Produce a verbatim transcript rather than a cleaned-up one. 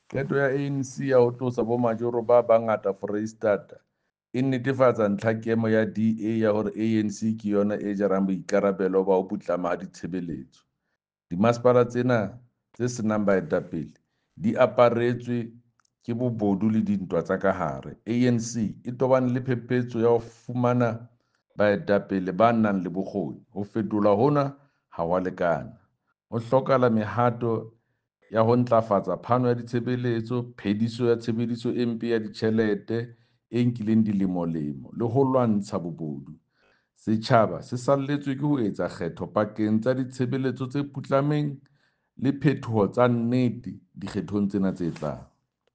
Qeto ya A N C ya ho tlosa bomajoro ba bangata Foreisetata e nnetefatsa ntlhakemo ya D A ya hore A N C ke yona e jarang boikarabelo ba ho putlama ha ditshebeletso. Dimasepala tsena tse senang baetapele di aparetswe ke bobodu le dintwa tsa ka hare. A N C e tobane le phephetso ya ho fumana baetapele ba nang le bokgoni. Ho fetolwa hona ha ho a lekana. Ho hlokahala mehato ya ho ntlafatsa phano ya ditshebeletso, phediso ya tshebediso e mpe ya ditjhelete e nkileng dilemolemo le ho lwantsha bobodu. Setjhaba se salletswe ke ho etsa kgetho pakeng tsa ditshebeletso tse putlameng le phetoho tsa nnete dikgethong tsena tse tlang.